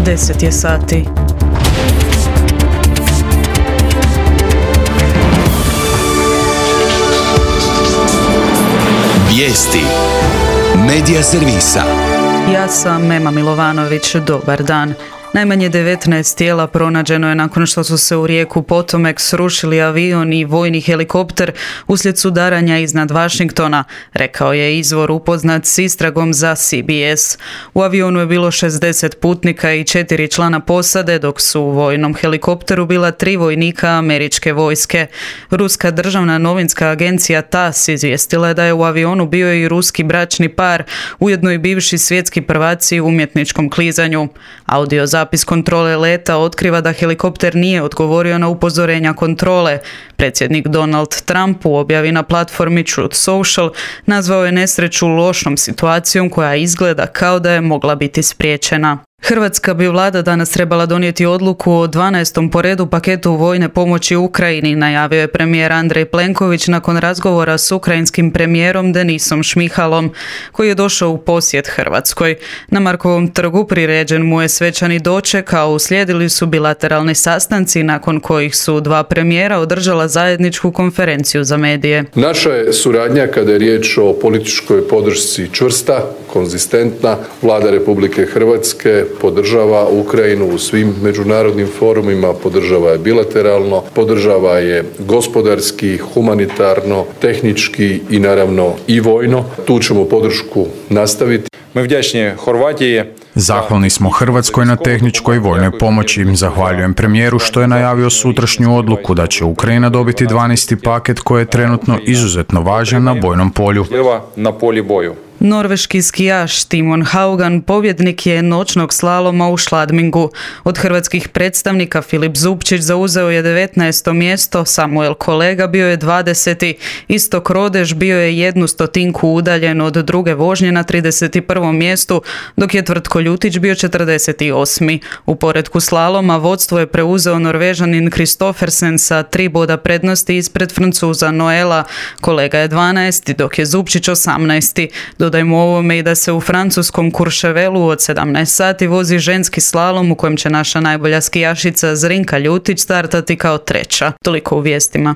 10 je sati. Vijesti Medija servisa. Ja sam Mema Milovanović, dobar dan. Najmanje 19 tijela pronađeno je nakon što su se u rijeku Potomac srušili avion i vojni helikopter uslijed sudaranja iznad Washingtona, rekao je izvor upoznat s istragom za CBS. U avionu je bilo 60 putnika i 4 člana posade, dok su u vojnom helikopteru bila 3 vojnika američke vojske. Ruska državna novinska agencija TASS izvijestila je da je u avionu bio i ruski bračni par, ujedno i bivši svjetski prvaci u umjetničkom klizanju. Audio zapis kontrole leta otkriva da helikopter nije odgovorio na upozorenja kontrole. Predsjednik Donald Trump u objavi na platformi Truth Social nazvao je nesreću lošom situacijom koja izgleda kao da je mogla biti spriječena. Hrvatska bi vlada danas trebala donijeti odluku o 12. po redu paketu vojne pomoći Ukrajini, najavio je premijer Andrej Plenković nakon razgovora s ukrajinskim premijerom Denisom Šmihalom, koji je došao u posjet Hrvatskoj. Na Markovom trgu priređen mu je svečani doček, a uslijedili su bilateralni sastanci nakon kojih su dva premijera održala zajedničku konferenciju za medije. Naša je suradnja kada je riječ o političkoj podršci čvrsta, konzistentna. Vlada Republike Hrvatske podržava Ukrajinu u svim međunarodnim forumima, podržava je bilateralno, podržava je gospodarski, humanitarno, tehnički i naravno i vojno. Tu ćemo podršku nastaviti. Zahvalni smo Hrvatskoj na tehničkoj i vojnoj pomoći. Zahvaljujem premijeru što je najavio sutrašnju odluku da će Ukrajina dobiti 12. paket koji je trenutno izuzetno važan na bojnom polju. Norveški skijaš Timon Haugan pobjednik je noćnog slaloma u Schladmingu. Od hrvatskih predstavnika Filip Zupčić zauzeo je 19. mjesto, Samuel Kolega bio je 20. Istok Rodež bio je 1/100 udaljen od druge vožnje na 31. mjestu, dok je Tvrtko Ljutić bio 48. U poretku slaloma vodstvo je preuzeo Norvežanin Kristoffersen sa 3 boda prednosti ispred Francuza Noela. Kolega je 12. dok je Zupčić 18. Dodajmo ovome i da se u francuskom Courchevelu od 17 sati vozi ženski slalom u kojem će naša najbolja skijašica Zrinka Ljutić startati kao treća. Toliko u vijestima.